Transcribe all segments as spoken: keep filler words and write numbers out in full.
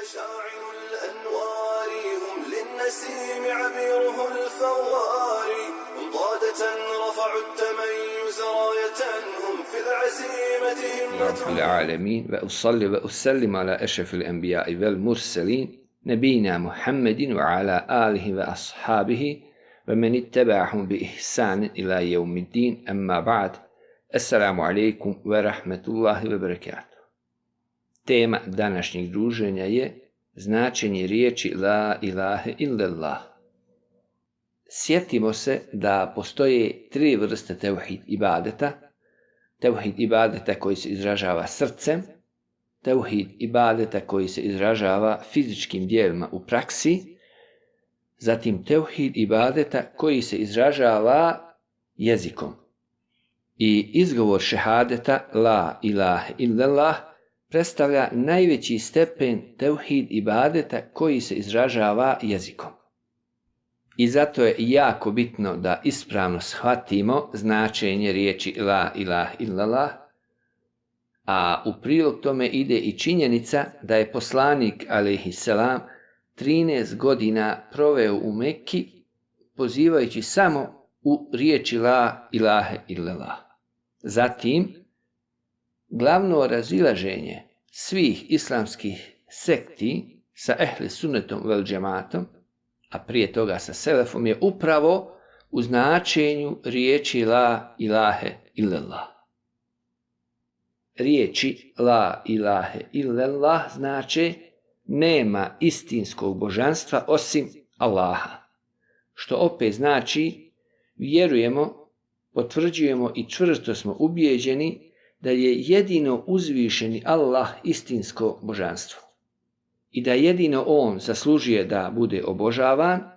مشاعل الأنوار هم للنسيم عبيره الفوار هم قادة رفعوا التميز راية هم في العزيمة همة العالمين وأصلي وأسلم على أشرف الأنبياء والمرسلين نبينا محمد وعلى آله وأصحابه ومن اتبعهم بإحسان إلى يوم الدين أما بعد السلام عليكم ورحمة الله وبركاته. Tema današnjeg druženja je značenje riječi la ilahe illallah. Sjetimo se da postoje tri vrste tevhid ibadeta. Tevhid ibadeta koji se izražava srcem, tevhid ibadeta koji se izražava fizičkim dijelima u praksi, zatim tevhid ibadeta koji se izražava jezikom. I izgovor šehadeta la ilahe illallah predstavlja najveći stepen tevhid ibadeta koji se izražava jezikom. I zato je jako bitno da ispravno shvatimo značenje riječi la ilaha illallah, a u prilog tome ide i činjenica da je poslanik alejhiselam trinaest godina proveo u Mekki pozivajući samo u riječi la ilaha illallah. Zatim, glavno razilaženje svih islamskih sekti sa ehli sunnetom vel džematom, a prije toga sa selefom, je upravo u značenju riječi la ilahe illallah. Riječi la ilahe illallah znače nema istinskog božanstva osim Allaha, što opet znači vjerujemo, potvrđujemo i čvrsto smo ubijeđeni da je jedino uzvišeni Allah istinsko božanstvo i da jedino on zaslužuje da bude obožavan,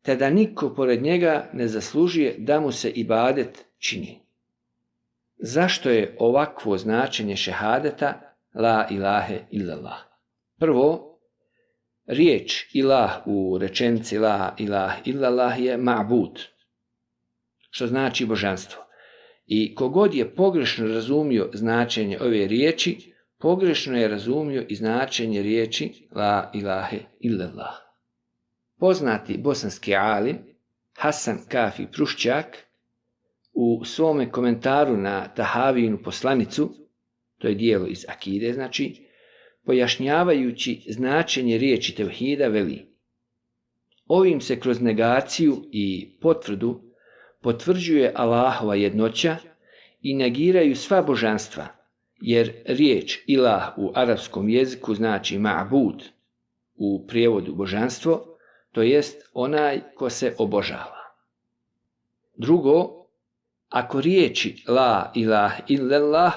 te da niko pored njega ne zaslužuje da mu se ibadet čini. Zašto je ovakvo značenje šehadeta la ilahe illallah? Prvo, riječ ilah u rečenici la ilaha illallah je ma'bud, što znači božanstvo. I kogod je pogrešno razumio značenje ove riječi, pogrešno je razumio i značenje riječi la ilahe illallah. Poznati bosanski alim Hasan Kafi Prušćak u svome komentaru na Tahavijinu poslanicu, to je dijelo iz akide, znači, pojašnjavajući značenje riječi tevhida veli: ovim se kroz negaciju i potvrdu potvrđuje Allahova jednoća i negiraju sva božanstva, jer riječ ilah u arapskom jeziku znači ma'bud, u prijevodu božanstvo, to jest onaj ko se obožava. Drugo, ako riječi la ilaha illallah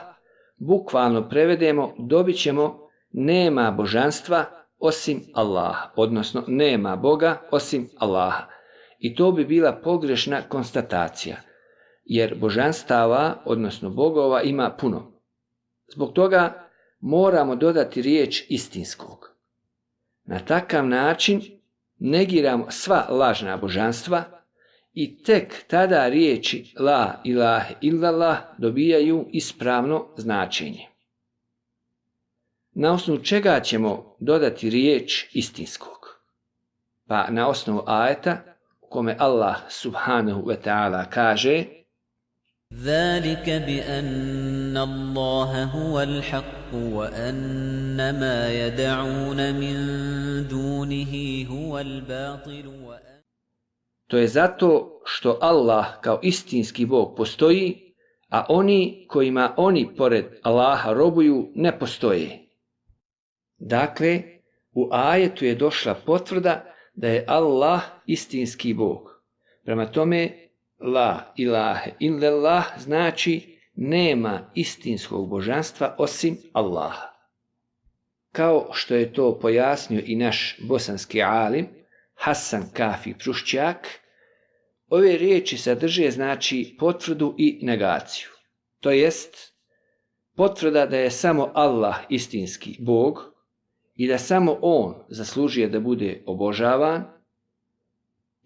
bukvalno prevedemo, dobit ćemo nema božanstva osim Allaha, odnosno nema Boga osim Allaha. I to bi bila pogrešna konstatacija, jer božanstava, odnosno bogova, ima puno. Zbog toga moramo dodati riječ istinskog. Na takav način negiramo sva lažna božanstva i tek tada riječi la ilaha illallah dobijaju ispravno značenje. Na osnovu čega ćemo dodati riječ istinskog? Pa na osnovu ajeta kome Allah subhanahu wa ta'ala kaže: ذَلِكَ بِأَنَّ اللَّهَ هُوَ الْحَقُّ وَأَنَّ مَا يَدْعُونَ مِن دُونِهِ هُوَ الْبَاطِلُ. To je zato što Allah kao istinski Bog postoji, a oni kojima oni pored Allaha robuju ne postoje. Dakle, u ajetu je došla potvrda da je Allah istinski Bog. Prema tome, la ilaha illallah znači nema istinskog božanstva osim Allaha. Kao što je to pojasnio i naš bosanski alim Hasan Kafi Prušćak, ove riječi sadrže znači potvrdu i negaciju. To jest potvrda da je samo Allah istinski Bog i da samo on zaslužuje da bude obožavan,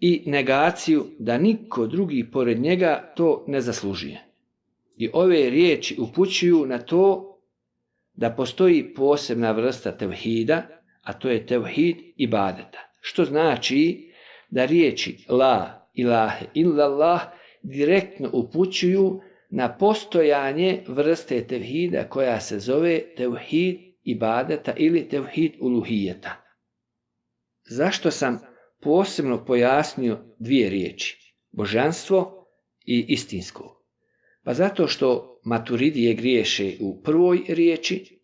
i negaciju da niko drugi pored njega to ne zaslužuje. I ove riječi upućuju na to da postoji posebna vrsta tevhida, a to je tevhid ibadeta. Što znači da riječi la ilahe illallah direktno upućuju na postojanje vrste tevhida koja se zove tevhid ibadeta ili tevhid uluhijeta. Zašto sam posebno pojasnio dvije riječi, božanstvo i istinsko? Pa zato što maturidije griješe u prvoj riječi,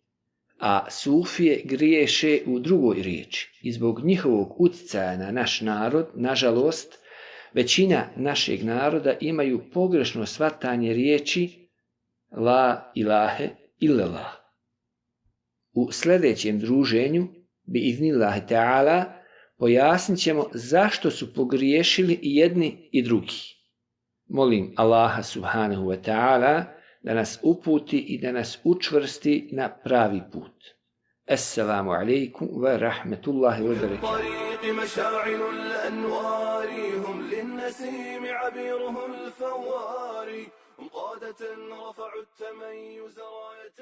a sufije griješe u drugoj riječi. I zbog njihovog utjecaja na naš narod, nažalost, većina našeg naroda imaju pogrešno shvatanje riječi la ilahe illallah. U sljedećem druženju, bi iznillahi ta'ala, pojasnit ćemo zašto su pogriješili i jedni i drugi. Molim Allaha subhanahu wa ta'ala da nas uputi i da nas učvrsti na pravi put. Assalamu alaikum wa rahmetullahi wa barakatuh. مشاعل الأنوار هم للنسيم عبيره الفوار قادة رفعوا التميز راية